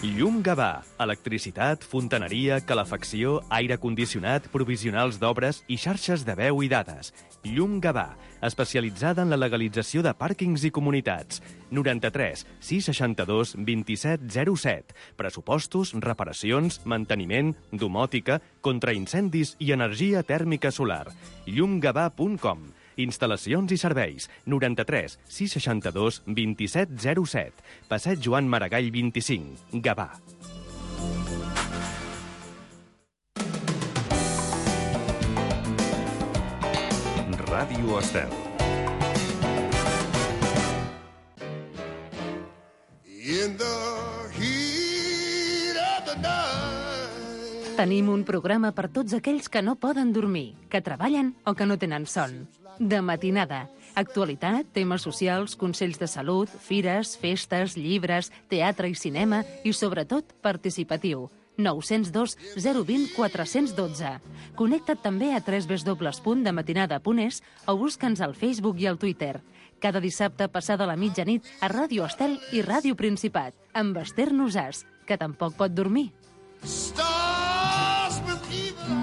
Llum Gavà. Electricitat, fontaneria, calefacció, aire condicionat, provisionals d'obres i xarxes de veu i dades. Llum Gavà, especialitzada en la legalització de pàrquings i comunitats. 93 662 27 07. Pressupostos, reparacions, manteniment, domòtica, contraincendis i energia tèrmica solar. llumgavà.com. Instal·lacions i serveis. 93 662 27 07. Passeig Joan Maragall 25. Gavà. Ràdio Estel. Tenim un programa per tots aquells que no poden dormir, que treballen o que no tenen son. De matinada. Actualitat, temes socials, consells de salut, fires, festes, llibres, teatre i cinema i, sobretot, participatiu. 902 020 412. Connecta't també a www.dematinada.es o busca'ns al Facebook i al Twitter. Cada dissabte passada la mitjanit a Ràdio Estel i Ràdio Principat, amb Esther Nosàs, que tampoc pot dormir.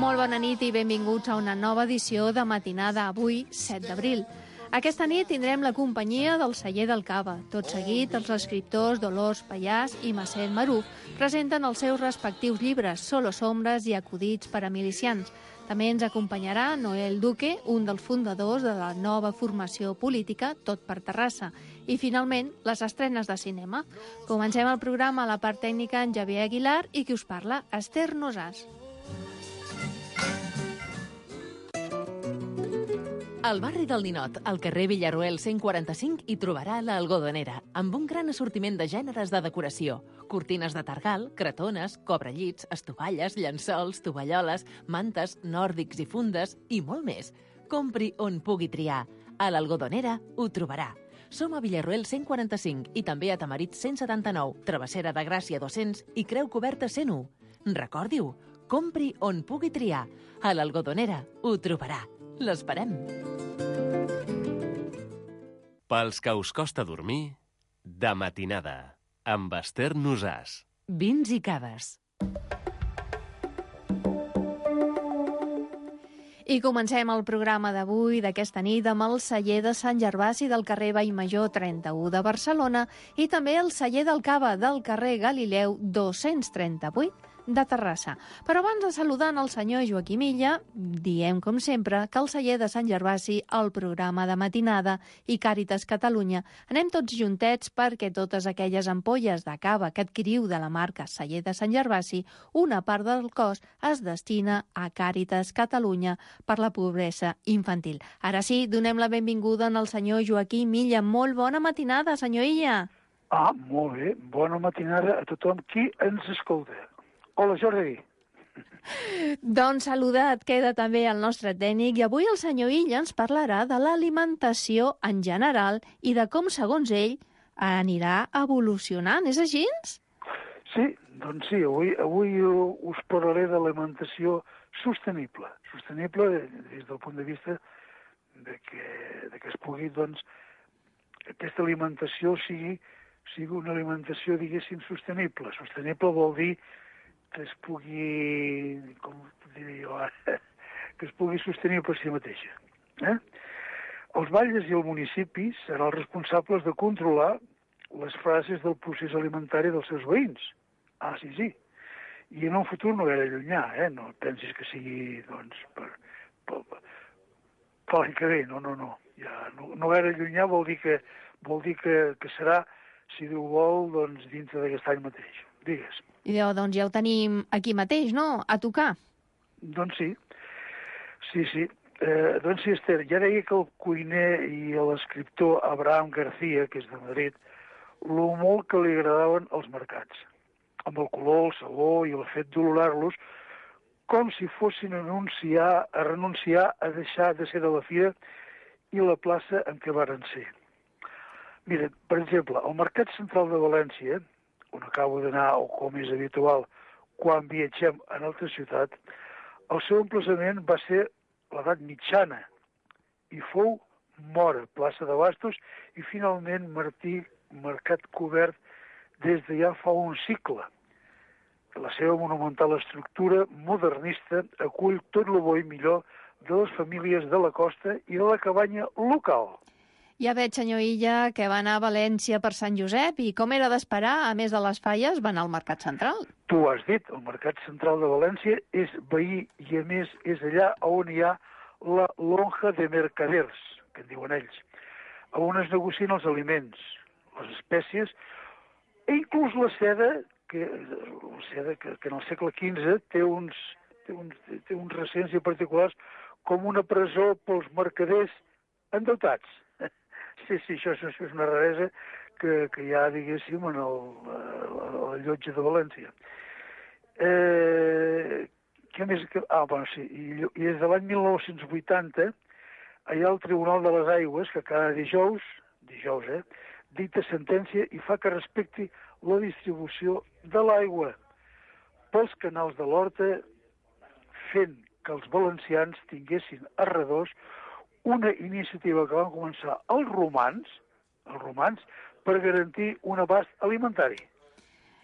Molt bona nit i benvinguts a una nova edició de Matinada, avui, 7 d'abril. Aquesta nit tindrem la companyia del Celler del Cava. Tot seguit, els escriptors Dolors Pallàs i Massel Maruf presenten els seus respectius llibres, Solo Sombres i Acudits per a milicians. També ens acompanyarà Noel Duque, un dels fundadors de la nova formació política Tot per Terrassa. I, finalment, les estrenes de cinema. Comencem el programa a la part tècnica en Javier Aguilar i qui us parla, Esther Nosàs. Al barri del Ninot, al carrer Villarroel 145, hi trobarà l'Algodonera, amb un gran assortiment de gèneres de decoració. Cortines de targal, cretones, cobrellits, estovalles, llençols, tovalloles, mantes, nòrdics i fundes i molt més. Compri on pugui triar. A l'Algodonera ho trobarà. Som a Villarroel 145 i també a Tamarit 179, Travessera de Gràcia 200 i Creu Coberta 101. Recordi-ho, compri on pugui triar. A l'Algodonera ho trobarà. L'esperem. Pels que us costa dormir, de matinada, amb Esther Nosàs. Vins i caves. I comencem el programa d'avui, d'aquesta nit, amb el Celler de Sant Gervasi del carrer Vallmajor 31 de Barcelona i també el Celler del Cava del carrer Galileu 238 de Terrassa. Però abans de saludar el senyor Joaquim Illa, diem, com sempre, que el Celler de Sant Gervasi, el programa de matinada i Càritas Catalunya, anem tots juntets perquè totes aquelles ampolles de cava que adquiriu de la marca Celler de Sant Gervasi, una part del cost es destina a Càritas Catalunya per la pobresa infantil. Ara sí, donem la benvinguda al senyor Joaquim Illa. Molt bona matinada, senyor Illa. Molt bé. Bona matinada a tothom qui ens escolta. Hola, Jordi. Doncs saludat queda també el nostre tècnic i avui el senyor Illa ens parlarà de l'alimentació en general i de com, segons ell, anirà evolucionant. És així? Sí, doncs sí. Avui us parlaré de l'alimentació sostenible. Sostenible des del punt de vista de que es pugui, doncs, aquesta alimentació sigui una alimentació, diguéssim, sostenible. Sostenible vol dir que es pugui, com diria jo ara, que es pugui sostenir per si mateixa. Els batlles i el municipi seran els responsables de controlar les frases del procés alimentari dels seus veïns. Sí. I en un futur no gaire llunyà, no pensis que sigui, doncs, per l'any que ve, no. Ja, no gaire llunyà vol dir que serà, si Déu vol, doncs, dintre d'aquest any mateix. Digues. I doncs ja ho tenim aquí mateix, no?, a tocar. Doncs sí. Doncs sí, Esther, ja deia que el cuiner i l'escriptor Abraham García, que és de Madrid, lo molt que li agradaven els mercats, amb el color, el sabor i el fet d'olorar-los, com si fossin a renunciar a deixar de ser de la fira i la plaça en què varen ser. Mira, per exemple, al Mercat Central de València, on acabo d'anar, o com és habitual, quan viatgem en altra ciutat, el seu emplaçament va ser l'edat mitjana i fou Mora, plaça de Bastos, i finalment Martí, mercat cobert des de ja fa un cicle. la seva monumental estructura modernista acull tot el bo i millor de les famílies de la costa i de la cabanya local. Ja veig, senyor Illa, que va anar a València per Sant Josep i com era d'esperar, a més de les falles, va anar al Mercat Central. Tu ho has dit, el Mercat Central de València és veí i, a més, és allà on hi ha la lonja de mercaders, que en diuen ells, on es negocien els aliments, les espècies, i inclús la seda, que en el segle XV té uns recents i particulars com una presó pels mercaders endeutats. Sí, això és una raresa que hi ha, diguéssim, en el llotja de València. Què més? Sí, i des de l'any 1980 hi ha el Tribunal de les Aigües que cada dijous, dicta sentència i fa que respecti la distribució de l'aigua pels canals de l'Horta, fent que els valencians tinguessin a redós una iniciativa que van començar els romans, per garantir un abast alimentari.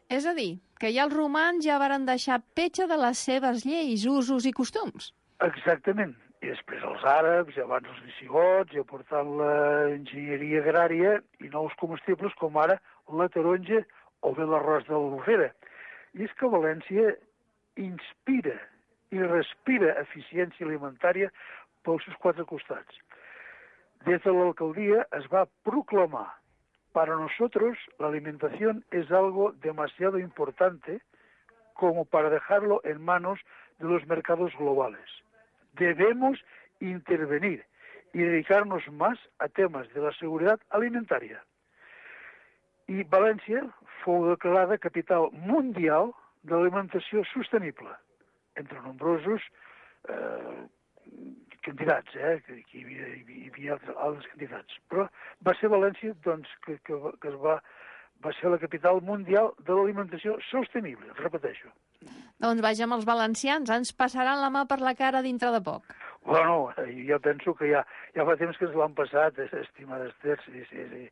És a dir, que ja els romans ja varen deixar petja de les seves lleis, usos i costums. Exactament. I després els àrabs, i abans els visigots, i aportant l'enginyeria agrària i nous comestibles com ara la taronja o bé l'arròs de l'Albufera. I és que València inspira i respira eficiència alimentària pels seus quatre costats. Des de l'alcaldia es va proclamar: para nosotros la alimentación es algo demasiado importante como para dejarlo en manos de los mercados globales. Debemos intervenir y dedicarnos más a temas de la seguridad alimentaria. I València fou declarada capital mundial de l'alimentació sostenible, entre nombrosos candidats, que hi havia altres candidats. Però va ser València doncs, que va ser la capital mundial de l'alimentació sostenible, repeteixo. Doncs vaja, amb els valencians ens passaran la mà per la cara dintre de poc. Bueno, jo penso que ja fa temps que ens l'han passat, estimada Esther, sí.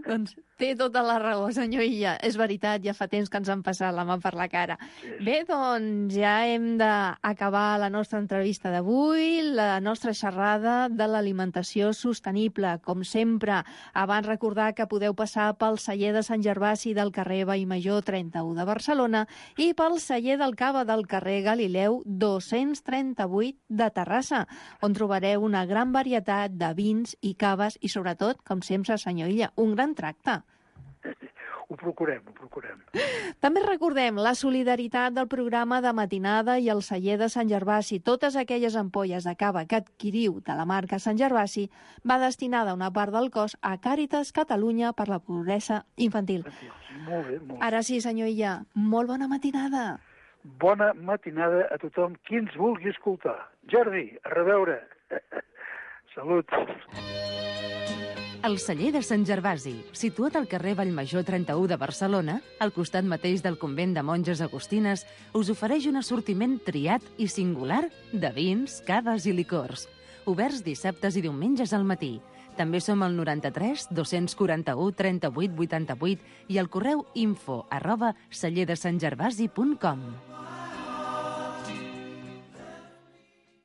Doncs té tota la raó, senyor Illa. És veritat, ja fa temps que ens han passat la mà per la cara. Sí. Bé, doncs ja hem d'acabar la nostra entrevista d'avui, la nostra xerrada de l'alimentació sostenible. Com sempre, abans recordar que podeu passar pel celler de Sant Gervasi del carrer Vallmajor 31 de Barcelona i pel celler del Cava del carrer Galileu 238 de Terrassa, on trobareu una gran varietat de vins i caves i, sobretot, com sempre, senyor Illa, un gran tracte. Ho procurem. També recordem la solidaritat del programa de matinada i el celler de Sant Gervasi. Totes aquelles ampolles de cava que adquiriu de la marca Sant Gervasi va destinada una part del cost a Càritas Catalunya per la pobresa infantil. Molt bé. Ara sí, senyor Illa, molt bona matinada. Bona matinada a tothom qui ens vulgui escoltar. Jordi, a reveure. Salut. El celler de Sant Gervasi, situat al carrer Vallmajor 31 de Barcelona, al costat mateix del convent de monges agustines, us ofereix un assortiment triat i singular de vins, caves i licors. Oberts dissabtes i diumenges al matí. També som al 93 241 38 88 i al correu info@cellerdesantgervasi.com.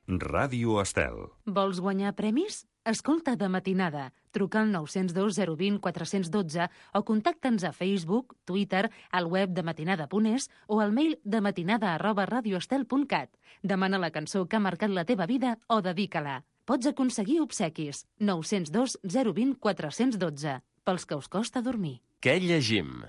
Ràdio Estel. Vols guanyar premis? Escolta de matinada. Truca al 902 020 412 o contacta'ns a Facebook, Twitter, al web de matinada.es o al mail de matinada@radioestel.cat. Demana la cançó que ha marcat la teva vida o dedica-la. Pots aconseguir obsequis. 902 020 412. Pels que us costa dormir. Què llegim?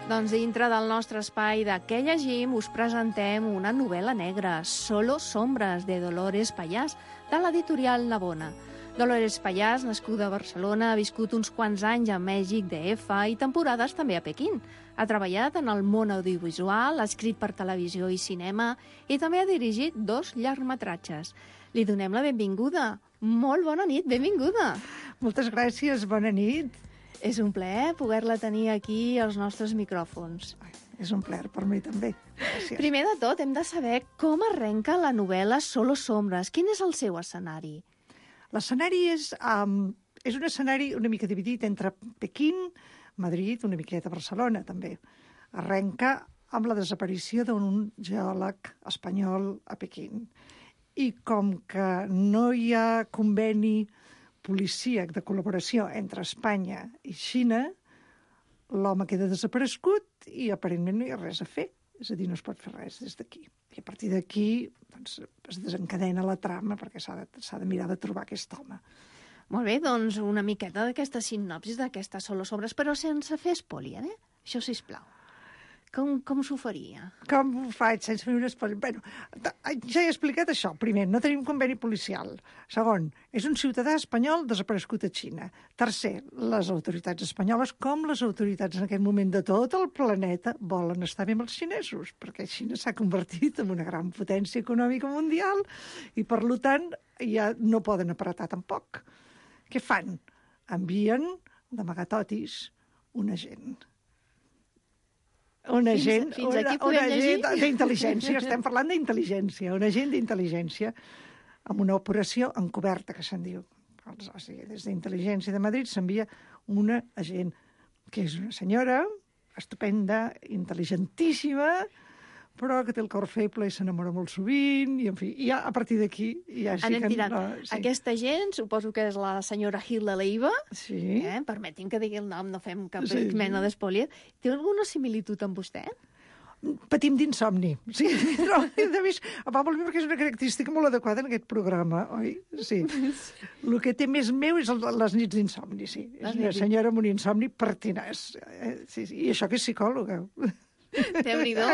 Doncs dintre del nostre espai de Què llegim us presentem una novel·la negra, Solo sombras, de Dolores Pallàs, de l'editorial Navona. Dolores Pallàs, nascuda a Barcelona, ha viscut uns quants anys a Mèxic, DF i temporades també a Pequín. Ha treballat en el món audiovisual, ha escrit per televisió i cinema i també ha dirigit 2 llargmetratges. Li donem la benvinguda. Molt bona nit, benvinguda. Moltes gràcies, bona nit. És un plaer poder-la tenir aquí als nostres micròfons. És un plaer per mi també. Gràcies. Primer de tot, hem de saber com arrenca la novel·la Solo sombras. Quin és el seu escenari? L'escenari és és un escenari una mica dividit entre Pequín, Madrid, una miqueta Barcelona, també. Arrenca amb la desaparició d'un geòleg espanyol a Pequín. I com que no hi ha conveni policíac de col·laboració entre Espanya i Xina, l'home queda desaparegut i aparentment no hi ha res a fer. És a dir, no es pot fer res des d'aquí. I a partir d'aquí doncs, es desencadena la trama perquè s'ha de mirar de trobar aquest home. Molt bé, doncs una miqueta d'aquesta sinopsis d'aquesta Solo Sombras, però sense fer spoiler, Això, sisplau. Com s'ho faria? Com ho faig sense fer un spoiler? Bueno, ja he explicat això. Primer, no tenim conveni policial. Segon, és un ciutadà espanyol desaparegut a Xina. Tercer, les autoritats espanyoles, com les autoritats en aquest moment de tot el planeta, volen estar bé amb els xinesos, perquè Xina s'ha convertit en una gran potència econòmica mundial i, per tant, ja no poden apretar tampoc. Què fan? Envien d'amagatotis un agent. Un agent d'intel·ligència, estem parlant d'intel·ligència, un agent d'intel·ligència amb una operació encoberta, que se'n diu. O sigui, des d'intel·ligència de Madrid s'envia una agent, que és una senyora estupenda, intel·ligentíssima, però que té el cor feble i s'enamora molt sovint, i en fi, ja a partir d'aquí ja sí anem que... tirant. Sí. Aquesta gent, suposo que és la senyora Hilda Leiva, sí. Permeti'm que digui el nom, no fem cap mena d'espoiler. Té alguna similitud amb vostè? Patim d'insomni. Sí, no, a més, va molt bé perquè és una característica molt adequada en aquest programa, oi? Sí. El que té més meu és les nits d'insomni, sí. És una senyora amb un insomni pertinaç. Sí, i això que és psicòloga. Déu-n'hi-do.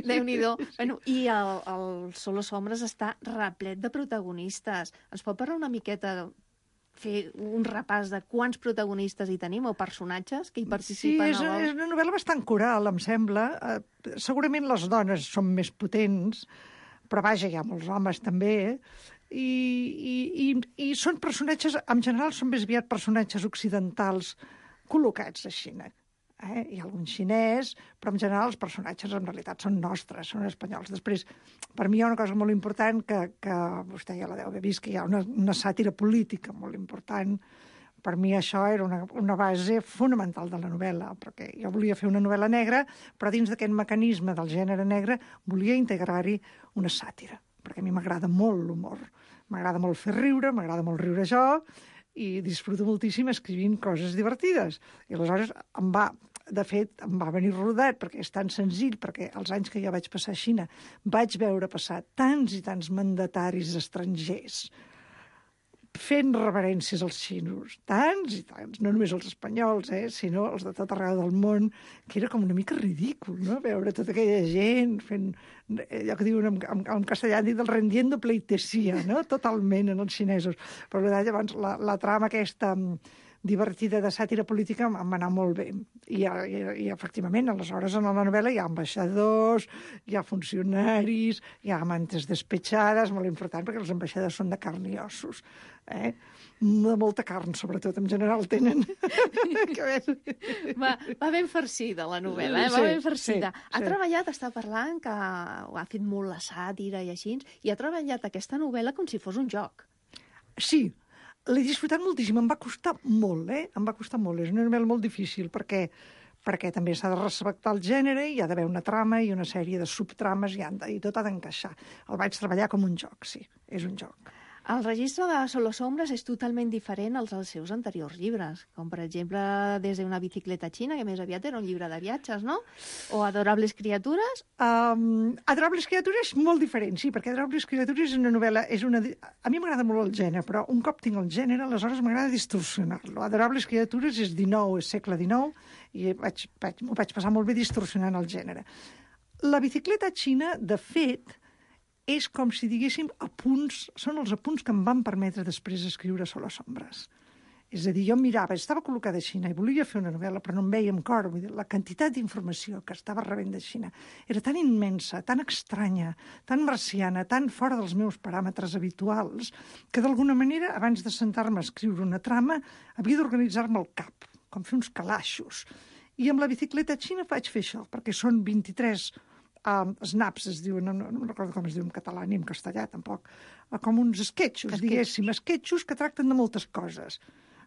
Déu-n'hi-do. Bueno, i el Solo Sombras està replet de protagonistes. Ens pot parlar una miqueta, fer un repàs de quants protagonistes hi tenim o personatges que hi participen? Sí, és una novel·la bastant coral, em sembla. Segurament les dones són més potents, però vaja, hi ha molts homes també, i són personatges, en general són més aviat personatges occidentals col·locats a Xina. Hi ha algun xinès, però en general els personatges en realitat són nostres, són espanyols. Després, per mi hi ha una cosa molt important que vostè ja la deu haver vist, que hi ha una sàtira política molt important. Per mi això era una base fonamental de la novel·la, perquè jo volia fer una novel·la negra, però dins d'aquest mecanisme del gènere negre volia integrar-hi una sàtira, perquè a mi m'agrada molt l'humor. M'agrada molt fer riure, m'agrada molt riure jo, i disfruto moltíssim escrivint coses divertides. I aleshores de fet, em va venir rodat, perquè és tan senzill, perquè els anys que jo vaig passar a Xina vaig veure passar tants i tants mandataris estrangers fent reverències als xinos, tants i tants, no només els espanyols, sinó els de tot arreu del món, que era com una mica ridícul, no?, veure tota aquella gent fent, allò que diuen en castellà, dit el rendiendo pleitesía, no?, totalment en els xinesos. Però llavors la trama aquesta divertida de sàtira política em va anar molt bé. I efectivament, aleshores, en la novel·la hi ha ambaixadors, hi ha funcionaris, hi ha amantes despetxades, molt important, perquè els ambaixadors són de carn i ossos. De molta carn, sobretot, en general tenen. Va ben farcida, la novel·la, va ben farcida. Ha treballat, està parlant, que ha fet molt la sàtira i així, i ha treballat aquesta novel·la com si fos un joc. Sí, l'he disfrutat moltíssim, em va costar molt, em va costar molt. És una novel·la molt difícil perquè també s'ha de respectar el gènere, hi ha d'haver una trama i una sèrie de subtrames i tot ha d'encaixar. El vaig treballar com un joc, sí, és un joc. El registre de Solo Sombras és totalment diferent als seus anteriors llibres, com per exemple Des de una bicicleta xina, que més aviat era un llibre de viatges, no? O Adorables criatures. Adorables criatures és molt diferent, sí, perquè Adorables criatures és una novel·la... A mi m'agrada molt el gènere, però un cop tinc el gènere, aleshores m'agrada distorsionar-lo. Adorables criatures és segle XIX, i m'ho vaig passar molt bé distorsionant el gènere. La bicicleta xina, de fet, és com si diguéssim són els apunts que em van permetre després escriure Solo Sombras. És a dir, jo mirava, estava col·locada a Xina i volia fer una novel·la, però no em veia amb cor. Vull dir, la quantitat d'informació que estava rebent de Xina era tan immensa, tan estranya, tan marciana, tan fora dels meus paràmetres habituals, que d'alguna manera, abans de sentar-me a escriure una trama, havia d'organitzar-me el cap, com fer uns calaixos. I amb la bicicleta xina vaig fer això, perquè són 23 snaps, es diuen, no recordo com es diu en català ni en castellà tampoc, com uns esquetxos, diguéssim, esquetxos que tracten de moltes coses.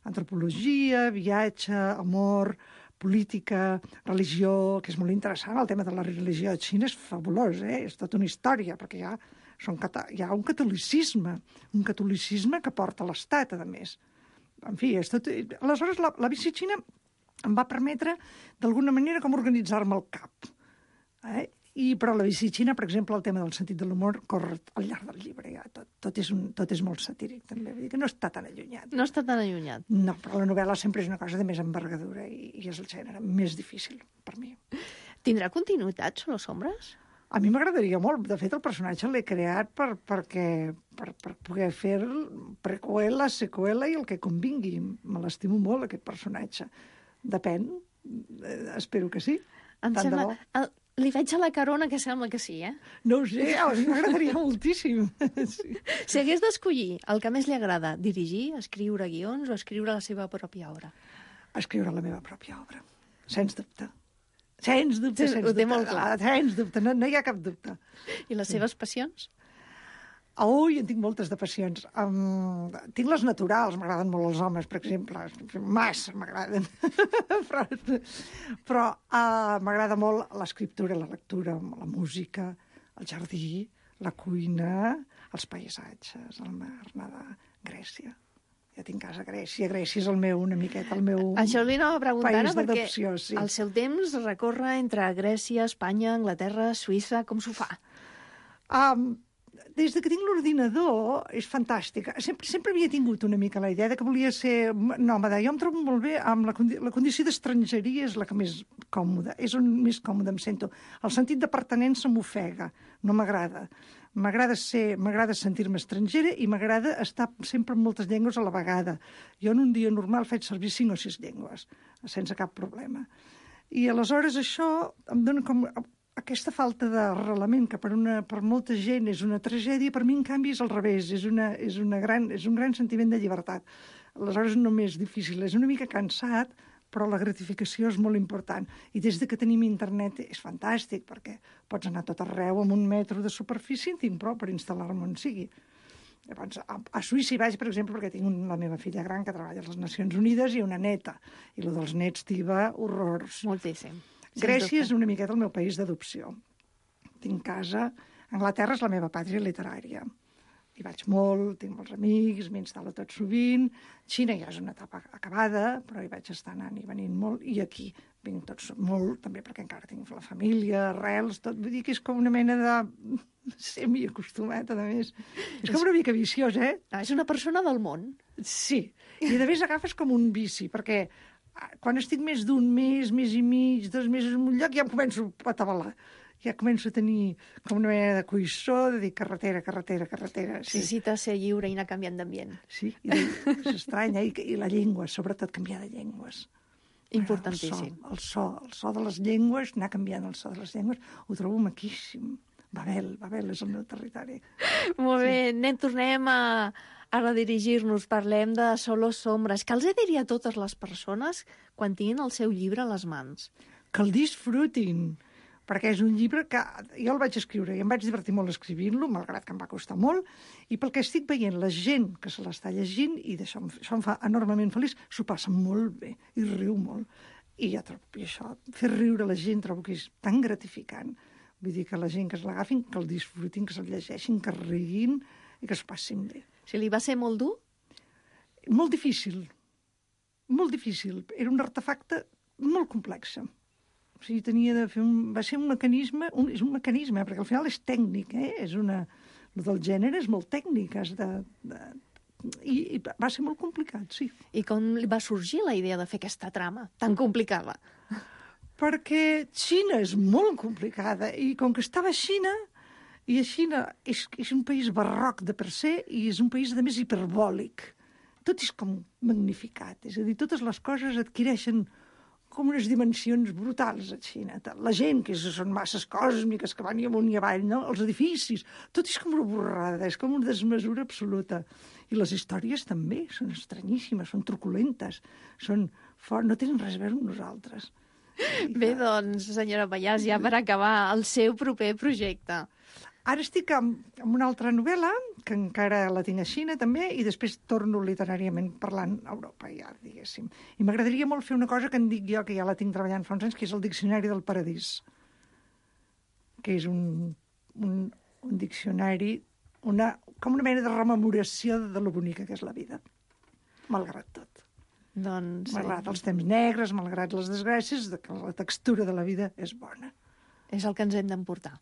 Antropologia, viatge, amor, política, religió, que és molt interessant. El tema de la religió a Xina és fabulós, és tota una història, perquè hi ha un catolicisme que porta l'Estat, a més. En fi, és tot... Aleshores, la bici xina em va permetre, d'alguna manera, com organitzar-me el cap. Però la bici xina, per exemple, el tema del sentit de l'humor corre al llarg del llibre. Ja. Tot és molt satíric, també. Vull dir que no està tan allunyat. No està tan allunyat. No, però la novel·la sempre és una cosa de més envergadura i és el gènere més difícil per mi. Tindrà continuïtat, Solo Sombras? A mi m'agradaria molt. De fet, el personatge l'he creat per poder fer preqüela, seqüela i el que convingui. Me l'estimo molt, aquest personatge. Depèn. Espero que sí. Em sembla... Li veig a la carona que sembla que sí, No ho sé, a mi m'agradaria moltíssim. Sí. Si hagués d'escollir el que més li agrada, dirigir, escriure guions o escriure la seva pròpia obra? Escriure la meva pròpia obra, sens dubte. Sens dubte, Ho té molt clar. Sens dubte, no hi ha cap dubte. I les seves passions? Ui, en tinc moltes de passions. Tinc les naturals, m'agraden molt els homes, per exemple. Massa m'agraden. però m'agrada molt l'escriptura, la lectura, la música, el jardí, la cuina, els paisatges, el mar, nedar, Grècia. Ja tinc casa a Grècia. Grècia és una miqueta el meu Això li anava a preguntar país perquè d'adopció, sí. El seu temps recorre entre Grècia, Espanya, Anglaterra, Suïssa. Com s'ho fa? Des que tinc l'ordinador és fantàstic. Sempre havia tingut una mica la idea de que volia ser nòmada. Jo em trobo molt bé amb la condició d'estrangeria, és la que més còmoda, és on més còmoda em sento. El sentit de pertinença m'ofega, no m'agrada. M'agrada sentir-me estrangera i m'agrada estar sempre en moltes llengües a la vegada. Jo en un dia normal faig servir 5 o 6 llengües, sense cap problema. I aleshores això em dona com... Aquesta falta d'arrelament, que per molta gent és una tragèdia, per mi, en canvi, és al revés. És un gran sentiment de llibertat. Aleshores, no m'és difícil. És una mica cansat, però la gratificació és molt important. I des que tenim internet és fantàstic, perquè pots anar a tot arreu amb 1 metro de superfície, en tinc prou per instal·lar-me on sigui. Llavors, a Suïssa hi vaig, per exemple, perquè tinc la meva filla gran que treballa a les Nacions Unides i una neta. I el dels nets t'hi va horrors. Moltíssim. Grècia és una miqueta el meu país d'adopció. Tinc casa. Anglaterra és la meva pàtria literària. Hi vaig molt, tinc molts amics, m'instal·lo tot sovint. Xina ja és una etapa acabada, però hi vaig estar anant i venint molt. I aquí vinc tots molt, també perquè encara tinc la família, arrels, tot. Vull dir que és com una mena de semi-acostumat, a més. És com una mica viciós, És una persona del món. Sí. I de més agafes com un vici, perquè quan estic més d'un mes i mig, 2 mesos en un lloc, ja em començo a atabalar. Ja començo a tenir com una mena de coïssó, de dir carretera. Sí. Necessita ser lliure i anar canviant d'ambient. Sí, és estrany, i la llengua, sobretot canviar de llengües. Importantíssim. El so de les llengües, anar canviant el so de les llengües, ho trobo maquíssim. Babel és el meu territori. Molt bé, tornem a redirigir-nos, parlem de Solo Sombras. Què els diria a totes les persones quan tinguin el seu llibre a les mans? Que el disfrutin, perquè és un llibre que jo el vaig escriure i em vaig divertir molt escrivint-lo, malgrat que em va costar molt, i pel que estic veient la gent que se l'està llegint, i això em fa enormement feliç, s'ho passa molt bé i riu molt. I això, fer riure la gent, trobo que és tan gratificant. Vull dir que la gent que es l'agafin, que el disfrutin, que se'l llegeixin, que riguin i que es passin bé. Si li va ser molt dur? Molt difícil. Molt difícil. Era un artefacte molt complex. O sigui, tenia de fer va ser un mecanisme, és un mecanisme, perquè al final és tècnic, el del gènere és molt tècnic, i va ser molt complicat, sí. I com va sorgir la idea de fer aquesta trama tan complicada? Perquè Xina és molt complicada, i com que estava a Xina, i a Xina és un país barroc de per se, i és un país, a més, hiperbòlic. Tot és com magnificat, és a dir, totes les coses adquireixen com unes dimensions brutals a Xina. La gent, que són masses còsmiques, que van i amunt i avall, no? Els edificis, tot és com una borrada, és com una desmesura absoluta. I les històries també són estranyíssimes, són truculentes, no tenen res a veure amb nosaltres. Bé, doncs, senyora Pallàs, ja per acabar, el seu proper projecte. Ara estic amb una altra novel·la, que encara la tinc a Xina també, i després torno literàriament parlant a Europa, ja, diguéssim. I m'agradaria molt fer una cosa que en dic jo, que ja la tinc treballant fa uns anys, que és el Diccionari del Paradís, que és un diccionari, com una mena de rememoració de lo bonica que és la vida, malgrat tot. Doncs... Malgrat els temps negres, malgrat les desgràcies, que la textura de la vida és bona. És el que ens hem d'emportar.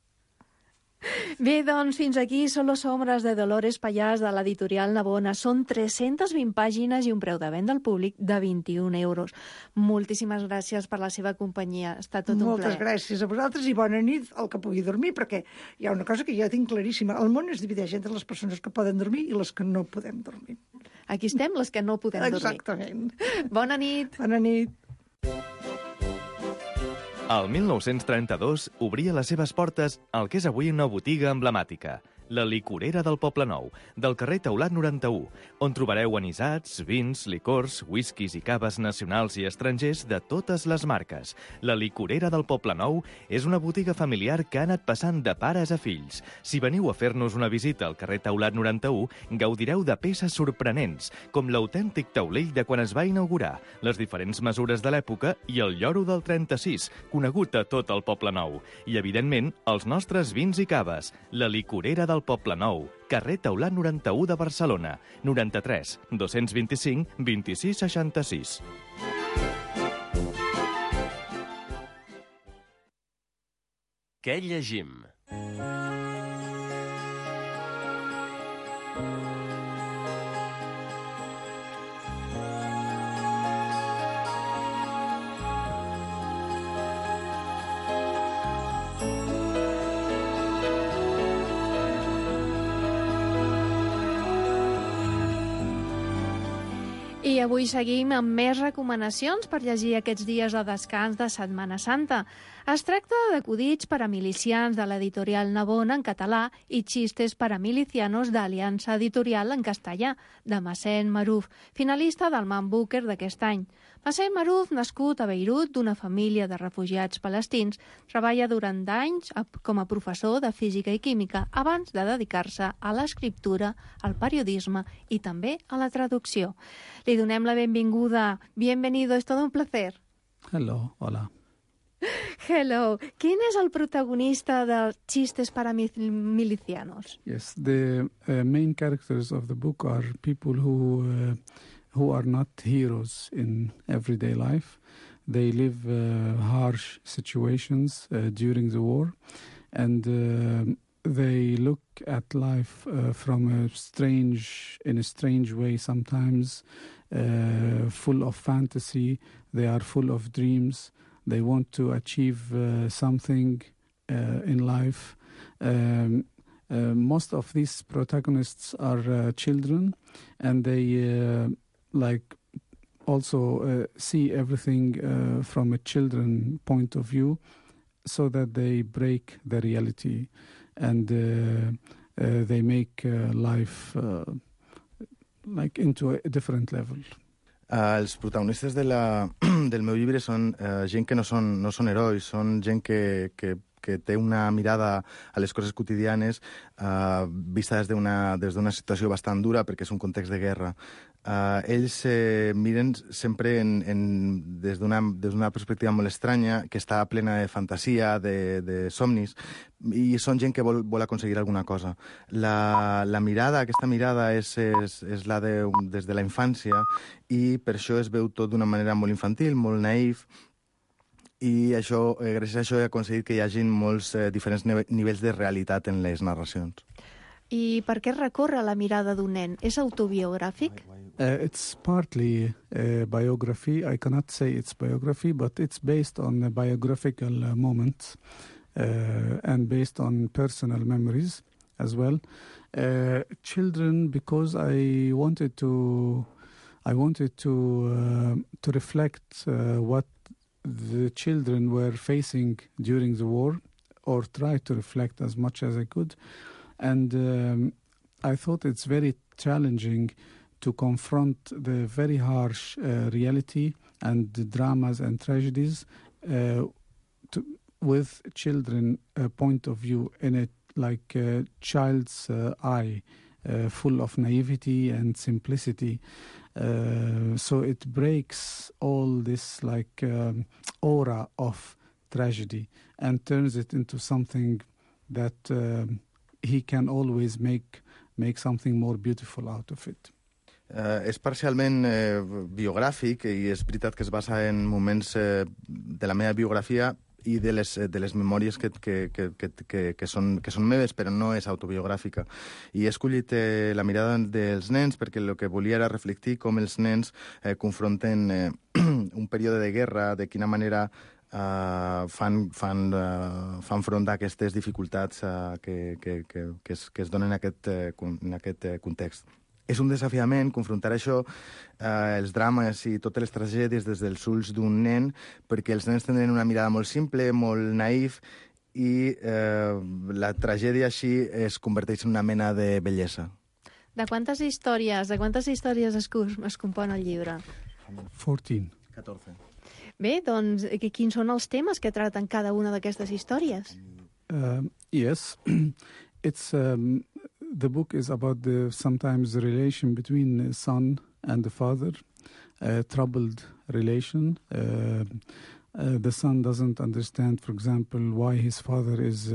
Bé, doncs, fins aquí Solo sombras de Dolores Pallàs de l'editorial Navona. Són 320 pàgines i un preu de venda al públic de 21 euros. Moltíssimes gràcies per la seva companyia. Ha estat tot un plaer. Moltes gràcies a vosaltres i bona nit al que pugui dormir, perquè hi ha una cosa que jo tinc claríssima. El món es divideix entre les persones que poden dormir i les que no podem dormir. Aquí estem, les que no podem dormir. Exactament. Bona nit. Bona nit. El 1932 obria les seves portes al que és avui una botiga emblemàtica, la Licorera del Poblenou, del carrer Taulat 91, on trobareu anisats, vins, licors, whiskies i caves nacionals i estrangers de totes les marques. La Licorera del Poblenou és una botiga familiar que ha anat passant de pares a fills. Si veniu a fer-nos una visita al carrer Taulat 91, gaudireu de peces sorprenents, com l'autèntic taulell de quan es va inaugurar, les diferents mesures de l'època i el lloro del 36, conegut a tot el Poblenou. I, evidentment, els nostres vins i caves. La Licorera del Poblenou, carrer Taulat 91 de Barcelona, 93 225 26 66. Què llegim? I avui seguim amb més recomanacions per llegir aquests dies de descans de Setmana Santa. Es tracta d'acudits per a milicians de l'editorial Navona en català i xistes per a milicianos d'Aliança Editorial en castellà, de Massen Maruf, finalista del Man Booker d'aquest any. Massen Maruf, nascut a Beirut d'una família de refugiats palestins, treballa durant anys com a professor de física i química abans de dedicar-se a l'escriptura, al periodisme i també a la traducció. Li donem la benvinguda. Bienvenido, es todo un placer. Hello, hola. Hello. ¿Quién es el protagonista de Chistes para Milicianos? Yes, the main characters of the book are people who are not heroes in everyday life. They live harsh situations during the war, and they look at life in a strange way sometimes, full of fantasy. They are full of dreams. They want to achieve something in life. Most of these protagonists are children, and they also see everything from a children point of view, so that they break the reality and they make life into a different level. Els protagonistes del meu llibre són gent que no són herois, són gent que té una mirada a les coses quotidianes vista des d'una situació bastant dura, perquè és un context de guerra. Ells miren sempre des d'una perspectiva molt estranya, que està plena de fantasia, de somnis, i són gent que vol aconseguir alguna cosa. Aquesta mirada és la des de la infància, i per això es veu tot d'una manera molt infantil, molt naïf, i gràcies a això he aconseguit que hi hagi molts diferents nivells de realitat en les narracions. I per què recorre la mirada d'un nen? És autobiogràfic? It's partly biography. I cannot say it's biography, but it's based on biographical moments and based on personal memories as well. Children, because I wanted to reflect what the children were facing during the war, or try to reflect as much as I could. And I thought it's very challenging to confront the very harsh reality and the dramas and tragedies with children point of view in like a child's eye, full of naivety and simplicity. So it breaks all this like aura of tragedy and turns it into something that he can always make something more beautiful out of it. És parcialment biogràfic i és veritat que es basa en moments de la meva biografia i de les memòries que són meves, però no és autobiogràfica. I he escollit la mirada dels nens perquè el que volia era reflectir com els nens confronten un període de guerra, de quina manera fan front a aquestes dificultats que es donen en aquest context. És un desafiament confrontar això, els drames i totes les tragèdies des dels ulls d'un nen, perquè els nens tenen una mirada molt simple, molt naïf, i la tragèdia així es converteix en una mena de bellesa. De quantes històries es compon el llibre? 14. Bé, doncs, quins són els temes que traten cada una d'aquestes històries? Yes, it's... The book is about sometimes the relation between the son and the father, a troubled relation. The son doesn't understand, for example, why his father is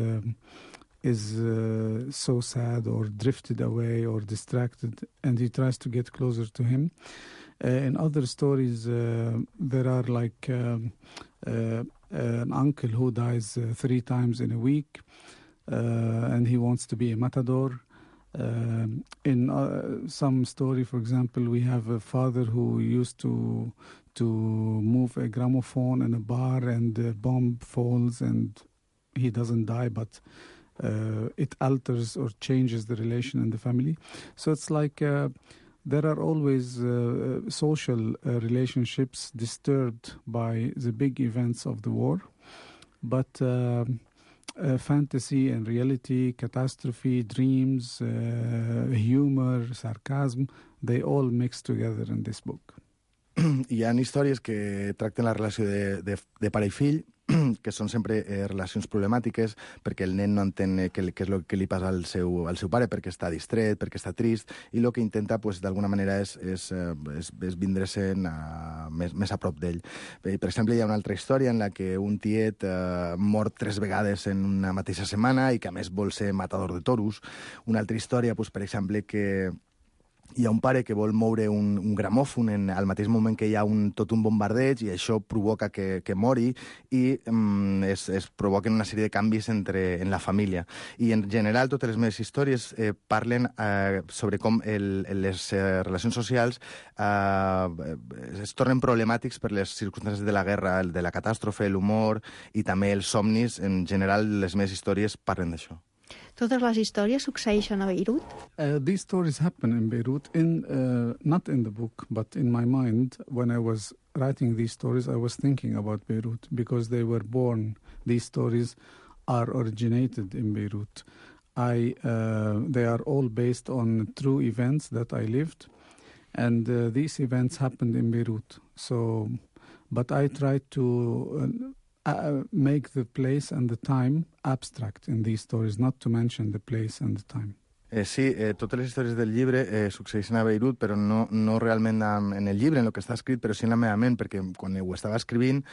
so sad or drifted away or distracted, and he tries to get closer to him. In other stories, there are like an uncle who dies 3 times in a week, and he wants to be a matador. In some story, for example, we have a father who used to move a gramophone in a bar, and the bomb falls and he doesn't die, but it alters or changes the relation in the family. So it's like there are always social relationships disturbed by the big events of the war, but fantasy and reality, catastrophe, dreams, humor, sarcasm, they all mix together in this book. Hi ha històries que tracten la relació de pare i fill, que són sempre relacions problemàtiques, perquè el nen no entén què és el que li passa al seu pare, perquè està distret, perquè està trist, i el que intenta, pues, d'alguna manera, és vindre-se'n més a prop d'ell. Per exemple, hi ha una altra història en la que un tiet mor 3 vegades en una mateixa setmana i que, a més, vol ser matador de toros. Una altra història, pues, per exemple, que hi ha un pare que vol moure un gramòfon al mateix moment que hi ha tot un bombardeig, i això provoca que mori, i es provoquen una sèrie de canvis en la família. I en general totes les meves històries parlen sobre com les relacions socials es tornen problemàtics per les circumstàncies de la guerra, de la catàstrofe, l'humor i també els somnis. En general les meves històries parlen d'això. Totes les històries succeeixen a Beirut? These stories happen in Beirut, not in the book, but in my mind. When I was writing these stories, I was thinking about Beirut, because they were born, these stories are originated in Beirut. They are all based on true events that I lived, and these events happened in Beirut. So, but I tried to make the place and the time abstract in these stories, not to mention the place and the time. Sí, totes les històries del llibre succeeixen a Beirut, però no realment en el llibre, en el que està escrit, però sí en la meva ment, perquè quan ho estava escrivint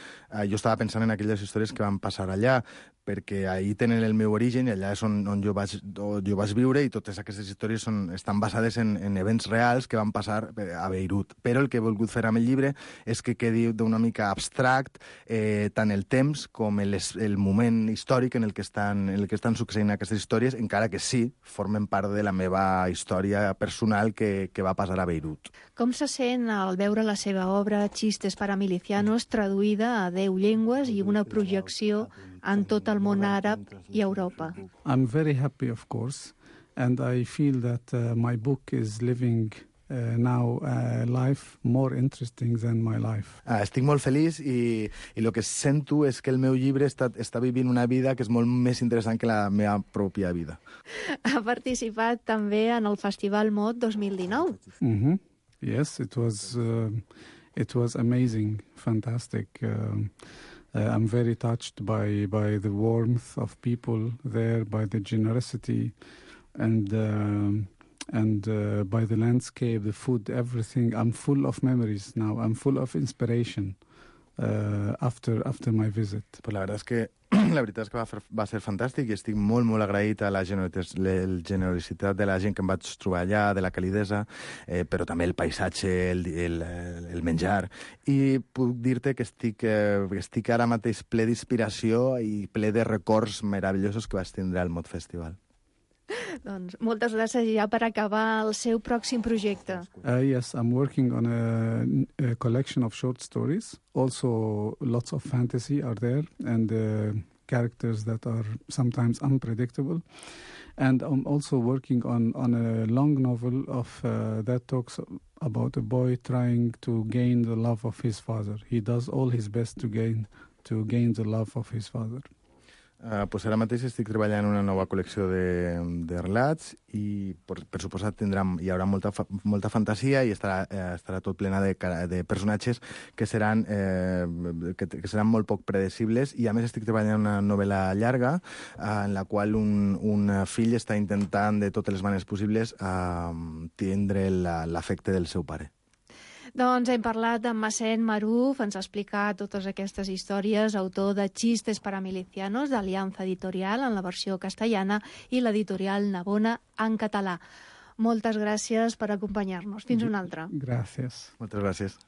jo estava pensant en aquelles històries que van passar allà, perquè ahir tenen el meu origen i allà és on jo vaig viure, i totes aquestes històries estan basades en events reals que van passar a Beirut. Però el que he volgut fer amb el llibre és que quedi d'una mica abstract tant el temps com el moment històric en el que estan succeint aquestes històries, encara que sí, formen part de la meva història personal que va passar a Beirut. Com se sent al veure la seva obra Chistes para milicianos traduïda a 10 llengües i una projecció en tot el món àrab i Europa? I'm very happy, of course, and I feel that my book is living now a life more interesting than my life. Estic molt feliç i el que sento és que el meu llibre està vivint una vida que és molt més interessant que la meva pròpia vida. Ha participat també en el Festival Mot 2019. Yes, it was amazing, fantastic. I'm very touched by the warmth of people there, by the generosity, and by the landscape, the food, everything. I'm full of memories now. I'm full of inspiration after my visit. Pues la verdad és que la veritat és que va ser fantàstic i estic molt, molt agraït a la generositat de la gent que em vaig trobar allà, de la calidesa, però també el paisatge, el menjar. I puc dir-te que estic ara mateix ple d'inspiració i ple de records meravellosos que vaig tindre al Mod Festival. Doncs moltes gràcies ja per acabar el seu pròxim projecte. Yes, I'm working on a collection of short stories. Also, lots of fantasy are there and characters that are sometimes unpredictable. And I'm also working on a long novel of that talks about a boy trying to gain the love of his father. He does all his best to gain the love of his father. Pues ara mateix estic treballant en una nova col·lecció de relats i per suposat hi haurà molta fantasia i estarà tot plena de personatges que seran molt poc predecibles, i a més estic treballant en una novel·la llarga en la qual un fill està intentant de totes les maneres possibles tindre l'afecte del seu pare. Doncs hem parlat amb Massen Maruf, ens ha explicat totes aquestes històries, autor de Chistes para milicianos, d'Aliança Editorial en la versió castellana i l'editorial Navona en català. Moltes gràcies per acompanyar-nos. Fins una altra. Gràcies. Moltes gràcies.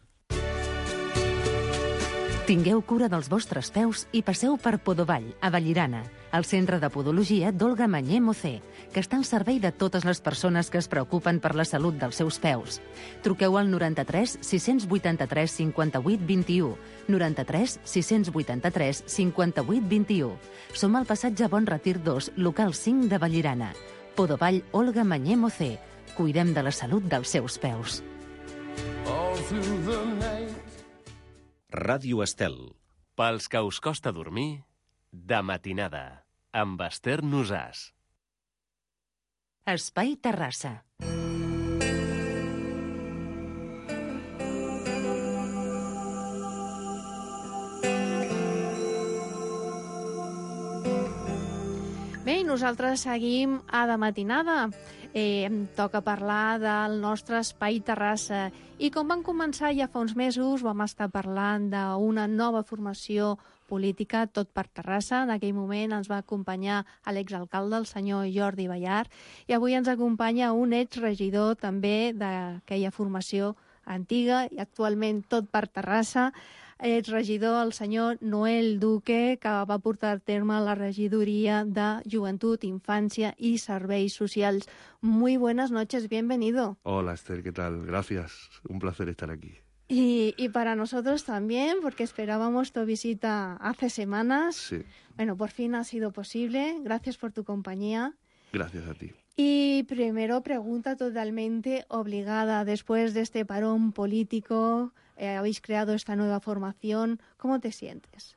Tingueu cura dels vostres peus i passeu per Podovall, a Vallirana, el centre de podologia d'Olga Mañé Mocé, que està al servei de totes les persones que es preocupen per la salut dels seus peus. Truqueu al 93 683 58 21, 93 683 58 21. Som al passatge Bon Retir 2, local 5 de Vallirana. Podovall Olga Mañé Mocé. Cuidem de la salut dels seus peus. Ràdio Estel. Pels que us costa dormir, de matinada, amb Esther Nosàs. Espai Terrassa. Bé, i nosaltres seguim a de matinada. Em toca parlar del nostre Espai Terrassa. I com vam començar ja fa uns mesos, vam estar parlant d'una nova formació política, Tot per Terrassa. En aquell moment ens va acompanyar l'exalcalde, el senyor Jordi Ballart, i avui ens acompanya un exregidor també d'aquella formació antiga i actualment Tot per Terrassa, exregidor, el senyor Noel Duque, que va portar a terme la regidoria de Joventut, Infància y Serveis Socials. Muy buenas noches, bienvenido. Hola Esther, ¿qué tal? Gracias, un placer estar aquí. Y para nosotros también, porque esperábamos tu visita hace semanas. Sí. Bueno, por fin ha sido posible. Gracias por tu compañía. Gracias a ti. Y primero, pregunta totalmente obligada. Después de este parón político, habéis creado esta nueva formación. ¿Cómo te sientes?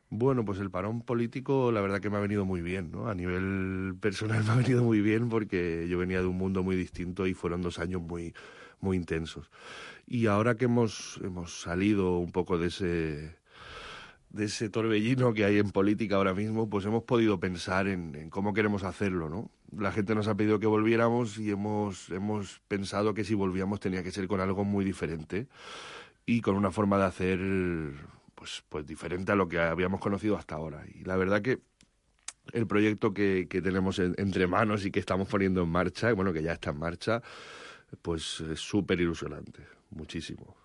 Bueno, pues el parón político la verdad que me ha venido muy bien, ¿no? A nivel personal me ha venido muy bien porque yo venía de un mundo muy distinto y fueron 2 años muy, muy intensos. Y ahora que hemos salido un poco de ese torbellino que hay en política ahora mismo, pues hemos podido pensar en cómo queremos hacerlo, ¿no? La gente nos ha pedido que volviéramos y hemos pensado que si volvíamos tenía que ser con algo muy diferente y con una forma de hacer pues diferente a lo que habíamos conocido hasta ahora. Y la verdad que el proyecto que tenemos entre manos y que estamos poniendo en marcha, bueno, que ya está en marcha, pues es súper ilusionante, muchísimo.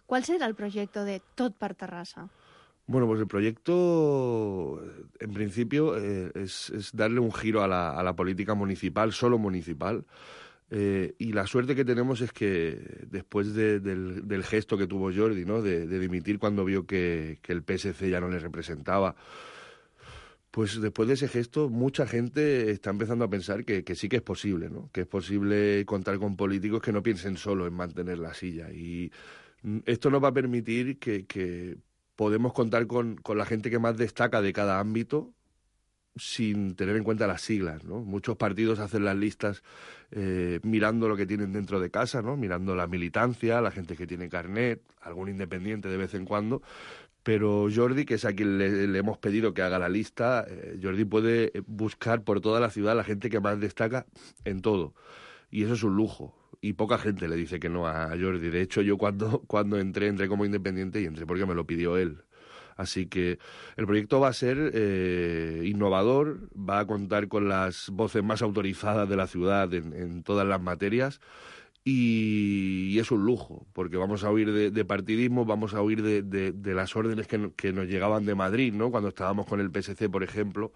¿Cuál será el proyecto de Tot per Terrassa? Bueno, pues el proyecto, en principio, es darle un giro a la política municipal, solo municipal. Y la suerte que tenemos es que después del gesto que tuvo Jordi, ¿no? de dimitir cuando vio que el PSC ya no le representaba, pues después de ese gesto mucha gente está empezando a pensar que sí que es posible, ¿no? Que es posible contar con políticos que no piensen solo en mantener la silla. Y esto nos va a permitir que podemos contar con la gente que más destaca de cada ámbito sin tener en cuenta las siglas, ¿no? Muchos partidos hacen las listas mirando lo que tienen dentro de casa, ¿no? Mirando la militancia, la gente que tiene carnet, algún independiente de vez en cuando, pero Jordi, que es a quien le hemos pedido que haga la lista, Jordi puede buscar por toda la ciudad la gente que más destaca en todo, y eso es un lujo. Y poca gente le dice que no a Jordi. De hecho, yo cuando entré como independiente y entré porque me lo pidió él. Así que el proyecto va a ser innovador, va a contar con las voces más autorizadas de la ciudad en todas las materias y es un lujo, porque vamos a huir de partidismo, vamos a huir de las órdenes que nos llegaban de Madrid, ¿no? Cuando estábamos con el PSC, por ejemplo,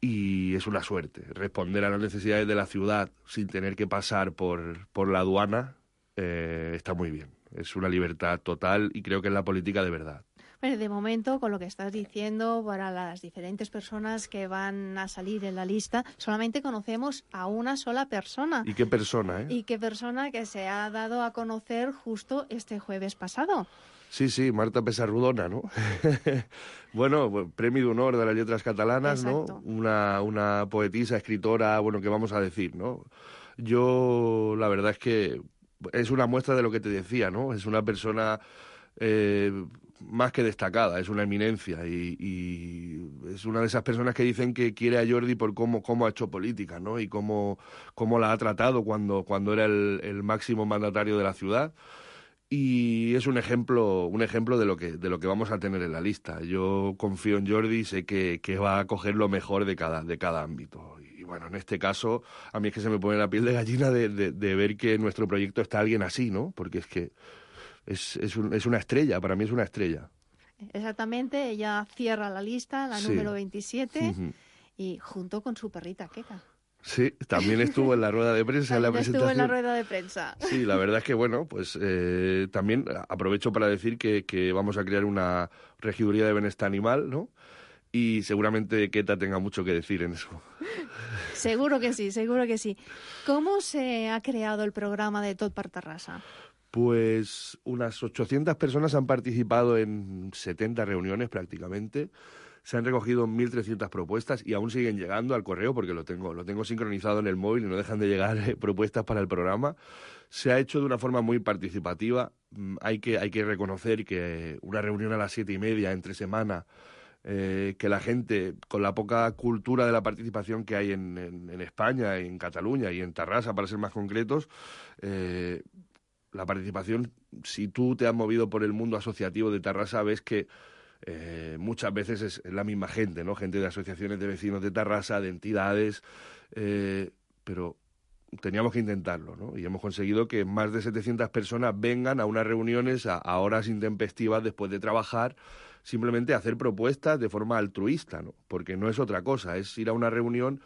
y es una suerte responder a las necesidades de la ciudad sin tener que pasar por la aduana. Está muy bien, es una libertad total y creo que es la política de verdad. Bueno, de momento, con lo que estás diciendo, para las diferentes personas que van a salir en la lista, solamente conocemos a una sola persona. ¿Y qué persona, Y qué persona que se ha dado a conocer justo este jueves pasado. Sí, Marta Pesarrudona, ¿no? Bueno, premio de honor de las letras catalanas, exacto, ¿no? Una poetisa, escritora, bueno, ¿qué vamos a decir, no? Yo, la verdad es que es una muestra de lo que te decía, ¿no? Es una persona más que destacada, es una eminencia y es una de esas personas que dicen que quiere a Jordi por cómo ha hecho política, ¿no? Y cómo la ha tratado cuando era el máximo mandatario de la ciudad. Y es un ejemplo de lo que vamos a tener en la lista. Yo confío en Jordi y sé que va a coger lo mejor de cada ámbito. Y bueno, en este caso, a mí es que se me pone la piel de gallina de ver que en nuestro proyecto está alguien así, ¿no? Porque es que es una estrella, para mí es una estrella. Exactamente, ella cierra la lista, la Sí. número 27, Uh-huh. y junto con su perrita Keka. Sí, también estuvo en la rueda de prensa, en la También presentación. estuvo en la rueda de prensa. Sí, la verdad es que, bueno, pues también aprovecho para decir que vamos a crear una regiduría de bienestar animal, ¿no? Y seguramente Keta tenga mucho que decir en eso. Seguro que sí, seguro que sí. ¿Cómo se ha creado el programa de Tot per Terrassa? Pues unas 800 personas han participado en 70 reuniones prácticamente. Se han recogido 1.300 propuestas y aún siguen llegando al correo porque lo tengo sincronizado en el móvil y no dejan de llegar propuestas para el programa. Se ha hecho de una forma muy participativa. Hay que reconocer que una reunión a las 7:30 entre semana, que la gente, con la poca cultura de la participación que hay en España, en Cataluña y en Tarrasa, para ser más concretos, la participación, si tú te has movido por el mundo asociativo de Tarrasa, ves que muchas veces es la misma gente, ¿no? Gente de asociaciones de vecinos de Tarrasa, de entidades, pero teníamos que intentarlo, ¿no? Y hemos conseguido que más de 700 personas vengan a unas reuniones a horas intempestivas después de trabajar, simplemente a hacer propuestas de forma altruista, ¿no? Porque no es otra cosa, es ir a una reunión.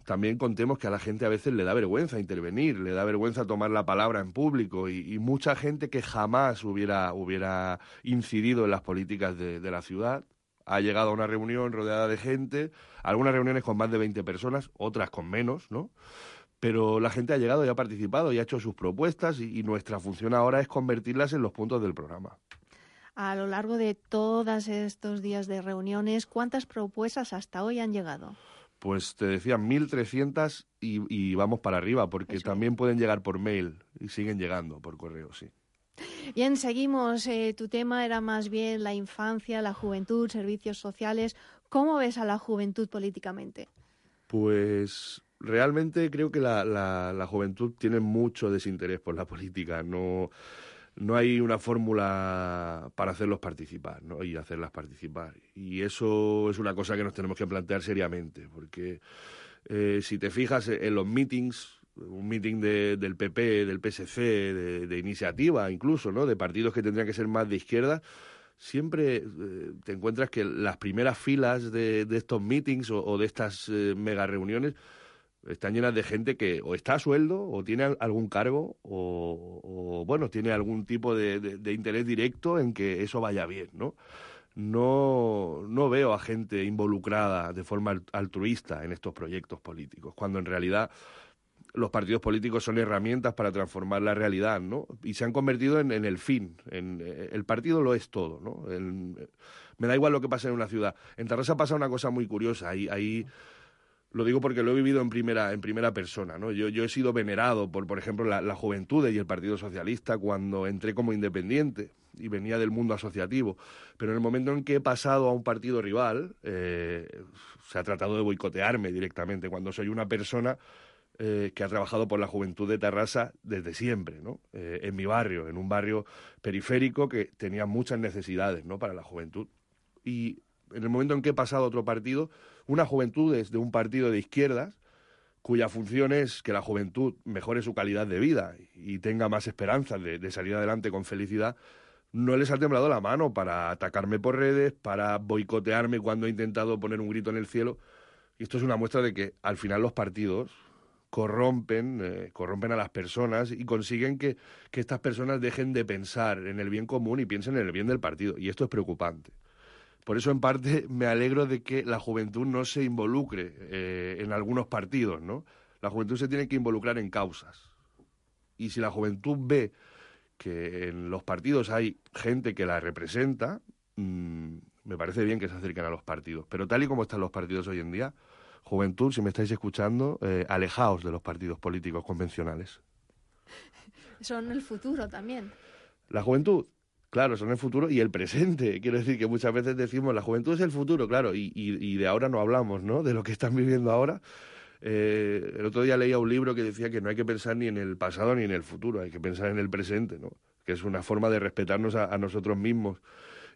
También contemos que a la gente a veces le da vergüenza intervenir, le da vergüenza tomar la palabra en público y mucha gente que jamás hubiera incidido en las políticas de la ciudad ha llegado a una reunión rodeada de gente, algunas reuniones con más de 20 personas, otras con menos, ¿no? Pero la gente ha llegado y ha participado y ha hecho sus propuestas y nuestra función ahora es convertirlas en los puntos del programa. A lo largo de todos estos días de reuniones, ¿cuántas propuestas hasta hoy han llegado? Pues te decía 1.300 y vamos para arriba, porque Eso. también pueden llegar por mail y siguen llegando por correo, sí. Bien, seguimos. Tu tema era más bien la infancia, la juventud, servicios sociales. ¿Cómo ves a la juventud políticamente? Pues realmente creo que la juventud tiene mucho desinterés por la política. No hay una fórmula para hacerlos participar, ¿no? Y hacerlas participar. Y eso es una cosa que nos tenemos que plantear seriamente, porque si te fijas en los meetings, un meeting del PP, del PSC, de Iniciativa incluso, ¿no? De partidos que tendrían que ser más de izquierda, siempre te encuentras que las primeras filas de estos meetings o de estas mega reuniones están llenas de gente que o está a sueldo o tiene algún cargo o bueno, tiene algún tipo de interés directo en que eso vaya bien, ¿no? No veo a gente involucrada de forma altruista en estos proyectos políticos, cuando en realidad los partidos políticos son herramientas para transformar la realidad, ¿no? Y se han convertido en el fin. El partido lo es todo, ¿no? Me da igual lo que pase en una ciudad. En Tarrasa pasa una cosa muy curiosa. Ahí lo digo porque lo he vivido en primera persona, ¿no? Yo he sido venerado por ejemplo, la Juventudes y el Partido Socialista cuando entré como independiente y venía del mundo asociativo. Pero en el momento en que he pasado a un partido rival, se ha tratado de boicotearme directamente, cuando soy una persona que ha trabajado por la juventud de Tarrasa desde siempre, ¿no? En mi barrio, en un barrio periférico que tenía muchas necesidades, ¿no?, para la juventud. Y en el momento en que he pasado a otro partido, una juventud es de un partido de izquierdas, cuya función es que la juventud mejore su calidad de vida y tenga más esperanzas de salir adelante con felicidad, no les ha temblado la mano para atacarme por redes, para boicotearme cuando he intentado poner un grito en el cielo. Y esto es una muestra de que al final los partidos corrompen a las personas y consiguen que estas personas dejen de pensar en el bien común y piensen en el bien del partido. Y esto es preocupante. Por eso, en parte, me alegro de que la juventud no se involucre en algunos partidos, ¿no? La juventud se tiene que involucrar en causas. Y si la juventud ve que en los partidos hay gente que la representa, me parece bien que se acerquen a los partidos. Pero tal y como están los partidos hoy en día, juventud, si me estáis escuchando, alejaos de los partidos políticos convencionales. Son el futuro también. La juventud, claro, son el futuro y el presente. Quiero decir que muchas veces decimos, la juventud es el futuro, claro, y de ahora no hablamos, ¿no?, de lo que están viviendo ahora. El otro día leía un libro que decía que no hay que pensar ni en el pasado ni en el futuro, hay que pensar en el presente, ¿no?, que es una forma de respetarnos a nosotros mismos.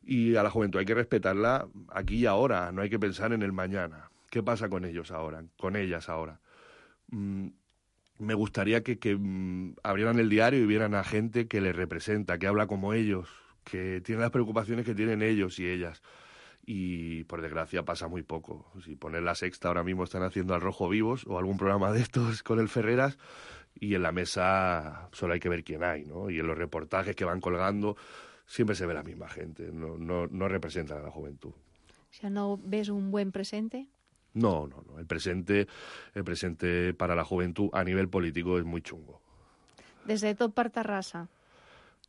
Y a la juventud hay que respetarla aquí y ahora, no hay que pensar en el mañana. ¿Qué pasa con ellos ahora, con ellas ahora? Me gustaría que abrieran el diario y vieran a gente que les representa, que habla como ellos, que tiene las preocupaciones que tienen ellos y ellas. Y, por desgracia, pasa muy poco. Si pones La Sexta, ahora mismo están haciendo Al Rojo Vivos o algún programa de estos con el Ferreras, y en la mesa solo hay que ver quién hay, ¿no? Y en los reportajes que van colgando siempre se ve la misma gente, no representan a la juventud. O sea, ¿no ves un buen presente? No. El presente para la juventud a nivel político es muy chungo. Desde Tot per Tarrasa.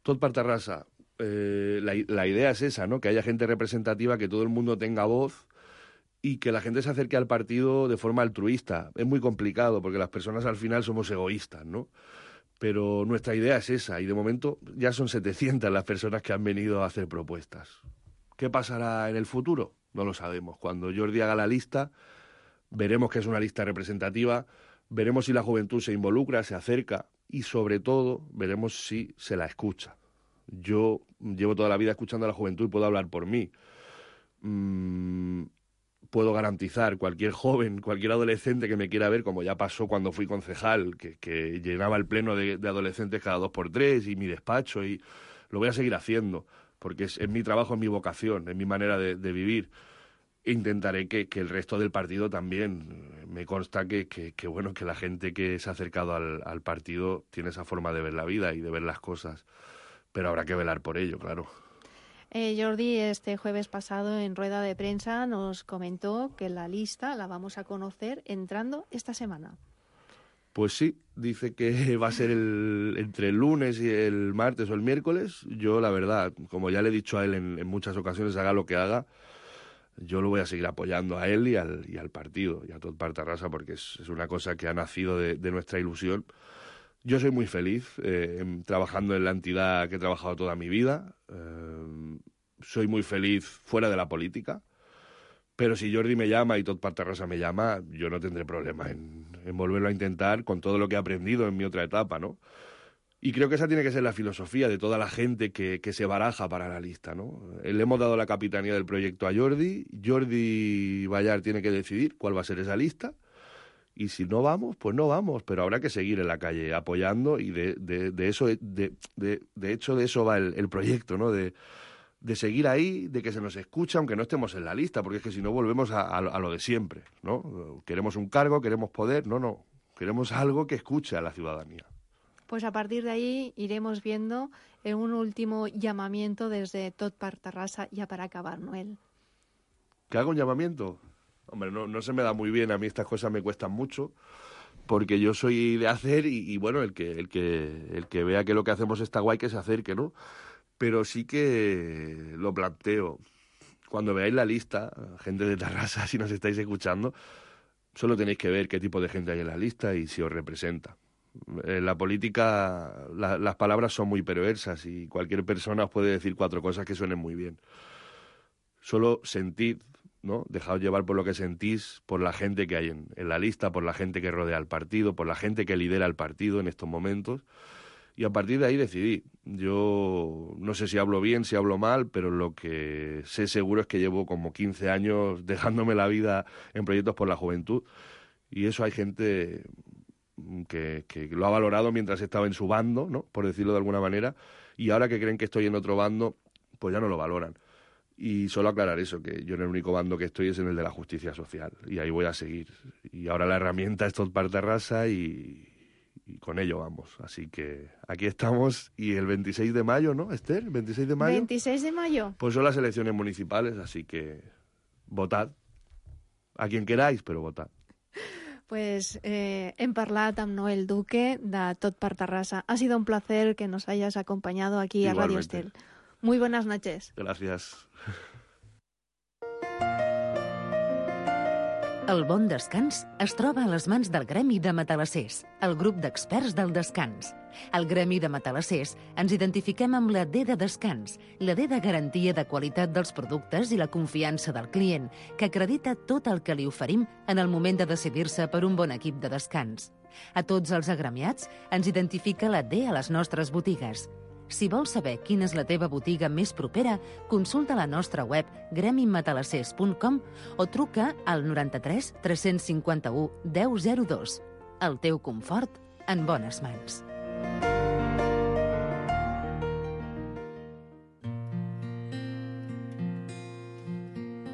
Tot per Tarrasa. La idea es esa, ¿no? Que haya gente representativa, que todo el mundo tenga voz y que la gente se acerque al partido de forma altruista. Es muy complicado porque las personas al final somos egoístas, ¿no? Pero nuestra idea es esa y de momento ya son 700 las personas que han venido a hacer propuestas. ¿Qué pasará en el futuro? No lo sabemos. Cuando Jordi haga la lista, veremos que es una lista representativa, veremos si la juventud se involucra, se acerca y, sobre todo, veremos si se la escucha. Yo llevo toda la vida escuchando a la juventud y puedo hablar por mí. Puedo garantizar, cualquier joven, cualquier adolescente que me quiera ver, como ya pasó cuando fui concejal, que llenaba el pleno de adolescentes cada 2x3 y mi despacho, y lo voy a seguir haciendo, porque es mi trabajo, es mi vocación, es mi manera de vivir. Intentaré que el resto del partido también. Me consta que la gente que se ha acercado al partido tiene esa forma de ver la vida y de ver las cosas, pero habrá que velar por ello, claro. Jordi, este jueves pasado en rueda de prensa nos comentó que la lista la vamos a conocer entrando esta semana. Pues sí, dice que va a ser entre el lunes y el martes o el miércoles. Yo, la verdad, como ya le he dicho a él en muchas ocasiones, haga lo que haga, yo lo voy a seguir apoyando a él y al partido, y a Tot per Tarrasa, porque es una cosa que ha nacido de nuestra ilusión. Yo soy muy feliz trabajando en la entidad que he trabajado toda mi vida. Soy muy feliz fuera de la política. Pero si Jordi me llama y Tot per Tarrasa me llama, yo no tendré problema en volverlo a intentar con todo lo que he aprendido en mi otra etapa, ¿no? Y creo que esa tiene que ser la filosofía de toda la gente que se baraja para la lista, ¿no? Le hemos dado la capitanía del proyecto a Jordi. Jordi Bayar tiene que decidir cuál va a ser esa lista. Y si no vamos, pues no vamos, pero habrá que seguir en la calle apoyando, y de hecho de eso va el proyecto, ¿no? De seguir ahí, de que se nos escuche aunque no estemos en la lista, porque es que si no volvemos a lo de siempre, ¿no? Queremos un cargo, queremos poder, no, queremos algo que escuche a la ciudadanía. Pues a partir de ahí iremos viendo un último llamamiento desde Tot per Tarrasa, ya para acabar, Noel. ¿Que haga un llamamiento? Hombre, no se me da muy bien, a mí estas cosas me cuestan mucho, porque yo soy de hacer y bueno, el que vea que lo que hacemos está guay, que se acerque, ¿no? Pero sí que lo planteo. Cuando veáis la lista, gente de Tarrasa, si nos estáis escuchando, solo tenéis que ver qué tipo de gente hay en la lista y si os representa. En la política las palabras son muy perversas y cualquier persona os puede decir 4 cosas que suenen muy bien. Solo sentid, ¿no? Dejaos llevar por lo que sentís, por la gente que hay en la lista, por la gente que rodea al partido, por la gente que lidera el partido en estos momentos. Y a partir de ahí decidí. Yo no sé si hablo bien, si hablo mal, pero lo que sé seguro es que llevo como 15 años dejándome la vida en proyectos por la juventud. Y eso hay gente que lo ha valorado mientras estaba en su bando, ¿no? Por decirlo de alguna manera. Y ahora que creen que estoy en otro bando, pues ya no lo valoran. Y solo aclarar eso, que yo en el único bando que estoy es en el de la justicia social. Y ahí voy a seguir. Y ahora la herramienta es Tot per Terrassa y con ello vamos. Así que aquí estamos y el 26 de mayo, ¿no, Esther? ¿26 de mayo? 26 de mayo. Pues son las elecciones municipales, así que votad. A quien queráis, pero votad. Pues hem parlat amb Noel Duque de Tot per Terrassa. Ha sido un placer que nos hayas acompañado aquí a Radio Estel. Muy buenas noches. Gracias. El bon descans es troba a les mans del Gremi de Matalassers, el grup d'experts del descans. Al Gremi de Matalassers ens identifiquem amb la D de descans, la D de garantia de qualitat dels productes i la confiança del client, que acredita tot el que li oferim en el moment de decidir-se per un bon equip de descans. A tots els agremiats ens identifica la D a les nostres botigues. Si vols saber quina és la teva botiga més propera, consulta la nostra web gremimatalassers.com o truca al 93 351 1002. El teu confort en bones mans.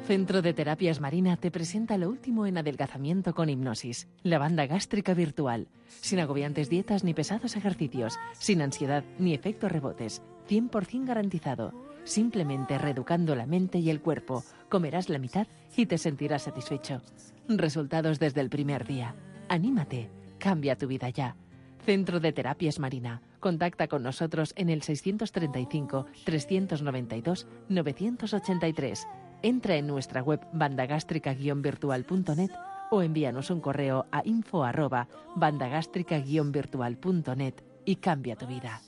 Centro de Terapias Marina te presenta lo último en adelgazamiento con hipnosis, la banda gástrica virtual, sin agobiantes dietas ni pesados ejercicios, sin ansiedad ni efectos rebotes, 100% garantizado. Simplemente reeducando la mente y el cuerpo, comerás la mitad y te sentirás satisfecho. Resultados desde el primer día. Anímate, cambia tu vida ya. Centro de Terapias Marina. Contacta con nosotros en el 635 392 983. Entra en nuestra web bandagástrica-virtual.net o envíanos un correo a info@bandagástrica-virtual.net y cambia tu vida.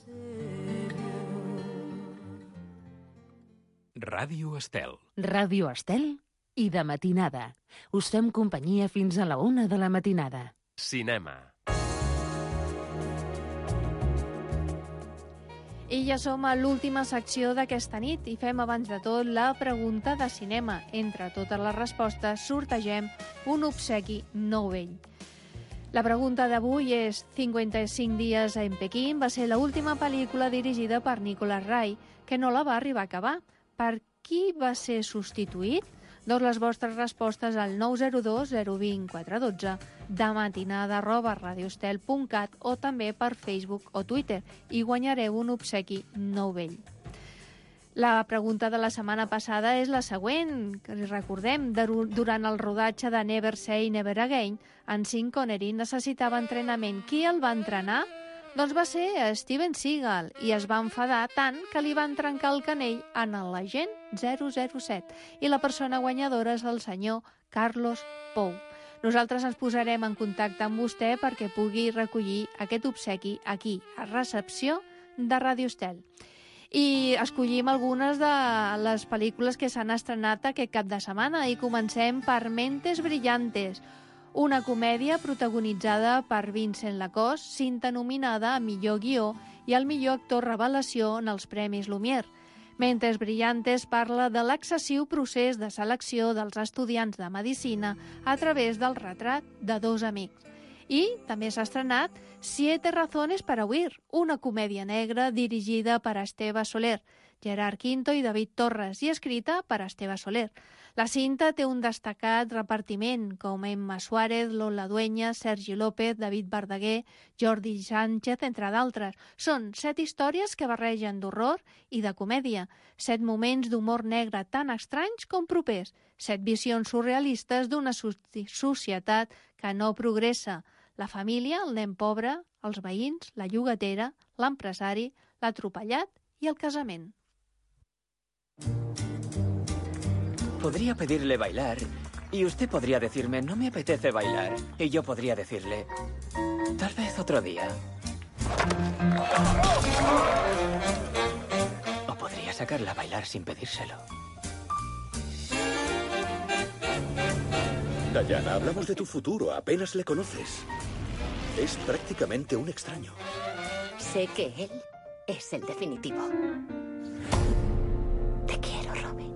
Ràdio Estel. Ràdio Estel i de matinada. Us fem companyia fins a la 1 de la matinada. Cinema. I ja som a l'última secció d'aquesta nit i fem abans de tot la pregunta de cinema. Entre totes les respostes sortegem un obsequi nou vell. La pregunta d'avui és 55 dies en Pequín va ser l'última pel·lícula dirigida per Nicholas Ray, que no la va arribar a acabar. Per qui va ser substituït? Doncs les vostres respostes al 902 020 412, de matinada@radioestel.cat o també per Facebook o Twitter i guanyareu un obsequi nou vell. La pregunta de la setmana passada és la següent. Recordem, durant el rodatge de Never Say Never Again, en Sean Connery necessitava entrenament. Qui el va entrenar? Doncs va ser Steven Seagal i es va enfadar tant que li van trencar el canell en l'agent 007 i la persona guanyadora és el senyor Carlos Pou. Nosaltres ens posarem en contacte amb vostè perquè pugui recollir aquest obsequi aquí, a recepció de Ràdio Estel. I escollim algunes de les pel·lícules que s'han estrenat aquest cap de setmana i comencem per Mentes Brillantes, una comèdia protagonitzada per Vincent Lacoste, cinta nominada a millor guió i al millor actor revelació en els Premis Lumière. Mentes Brillantes parla de l'excessiu procés de selecció dels estudiants de Medicina a través del retrat de dos amics. I també s'ha estrenat Siete razones para huir, una comèdia negra dirigida per Esteve Soler, Gerard Quinto i David Torres, i escrita per Esteve Soler. La cinta té un destacat repartiment, com Emma Suárez, Lola Dueña, Sergi López, David Verdaguer, Jordi Sánchez, entre d'altres. Són 7 històries que barregen d'horror i de comèdia, 7 moments d'humor negre tan estranys com propers, 7 visions surrealistes d'una societat que no progressa. La família, el nen pobre, els veïns, la llogatera, l'empresari, l'atropellat i el casament. Podría pedirle bailar y usted podría decirme, no me apetece bailar. Y yo podría decirle, tal vez otro día. O podría sacarla a bailar sin pedírselo. Diana, hablamos de tu futuro. Apenas le conoces. Es prácticamente un extraño. Sé que él es el definitivo. Te quiero, Robin.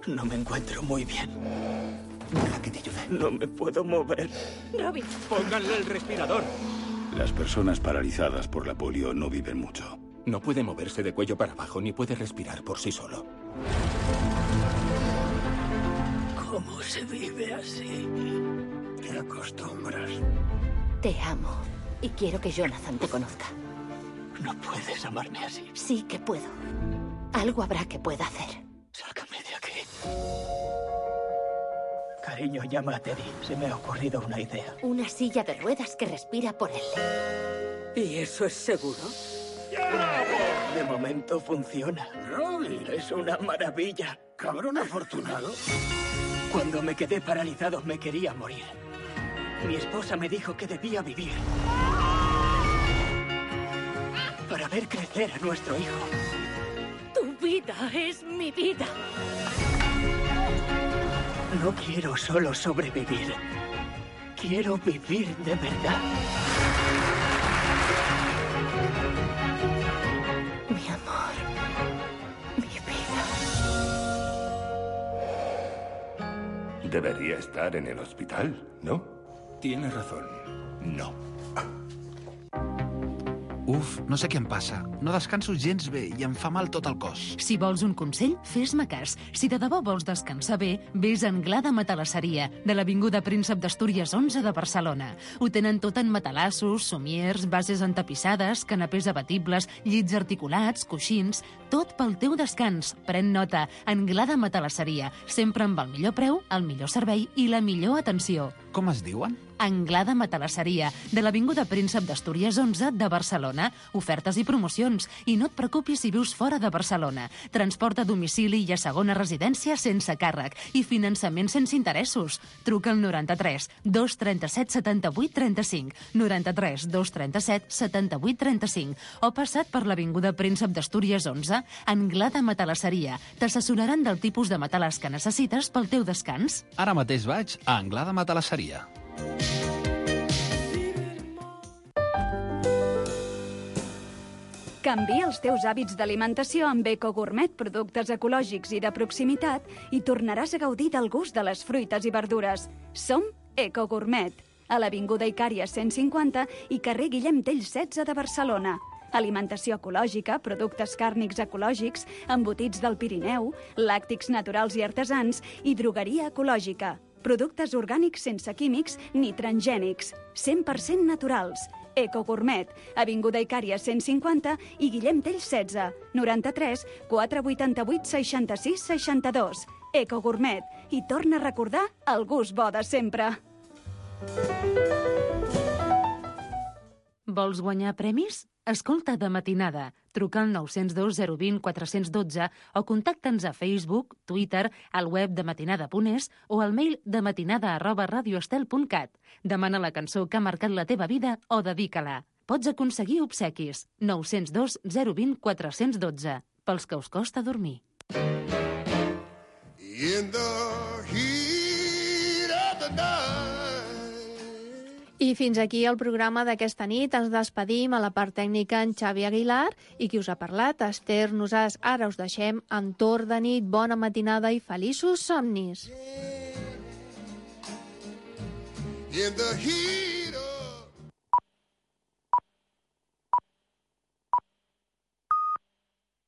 No me encuentro muy bien. Deja que te ayude. No me puedo mover. Robin. Pónganle el respirador. Las personas paralizadas por la polio no viven mucho. No puede moverse de cuello para abajo ni puede respirar por sí solo. ¿Cómo se vive así? Te acostumbras. Te amo y quiero que Jonathan te conozca. No puedes amarme así. Sí que puedo. Algo habrá que pueda hacer. Sácame de aquí. Cariño, llama a Teddy. Se me ha ocurrido una idea. Una silla de ruedas que respira por él. ¿Y eso es seguro? ¡Bravo! De momento funciona. Robin. Es una maravilla. Cabrón afortunado. Cuando me quedé paralizado me quería morir. Mi esposa me dijo que debía vivir. Para ver crecer a nuestro hijo. Tu vida es mi vida. No quiero solo sobrevivir. Quiero vivir de verdad. Mi amor. Mi vida. Debería estar en el hospital, ¿no? Tienes razón. No. Uf, no sé què em passa. No descanso gens bé i em fa mal tot el cos. Si vols un consell, fes-me cas. Si de debò vols descansar bé, vés a Anglada Matalasseria, de l'Avinguda Príncep d'Astúries 11 de Barcelona. Ho tenen tot en matalassos, somiers, bases entapissades, canapés abatibles, llits articulats, coixins... Tot pel teu descans. Pren nota. Anglada Matalasseria. Sempre amb el millor preu, el millor servei i la millor atenció. Com es diuen? Anglada Matalasseria, de l'Avinguda Príncep d'Astúries 11 de Barcelona. Ofertes i promocions. I no et preocupis si vius fora de Barcelona. Transport a domicili i a segona residència sense càrrec. I finançament sense interessos. Truca al 93 237 78 35, 93 237 78 35 o passa't per l'Avinguda Príncep d'Astúries 11, Anglada Matalasseria. T'assessoraran del tipus de matalàs que necessites pel teu descans. Ara mateix vaig a Anglada Matalasseria. Canvia els teus hàbits d'alimentació amb EcoGourmet, productes ecològics i de proximitat, i tornaràs a gaudir del gust de les fruites i verdures. Som EcoGourmet, a l'Avinguda Icària 150 i carrer Guillem Tell 16 de Barcelona. Alimentació ecològica, productes càrnics ecològics, embotits del Pirineu, làctics naturals i artesans i drogueria ecològica. Productes orgànics sense químics ni transgènics, 100% naturals. EcoGourmet, Avinguda Icària 150 i Guillem Tell 16, 93 488 66 62. EcoGourmet. I torna a recordar el gust bo de sempre. Vols guanyar premis? Escolta De Matinada. Truca al 902 020 412 o contacta'ns a Facebook, Twitter, al web dematinada.es o al mail dematinada@radioestel.cat. Demana la cançó que ha marcat la teva vida o dedica-la. Pots aconseguir obsequis. 902 020 412. Pels que us costa dormir. In the heat of the night. I fins aquí el programa d'aquesta nit. Ens despedim a la part tècnica en Xavi Aguilar i qui us ha parlat, Esther Nosàs. Ara us deixem en Torn de nit. Bona matinada i feliços somnis. In the heat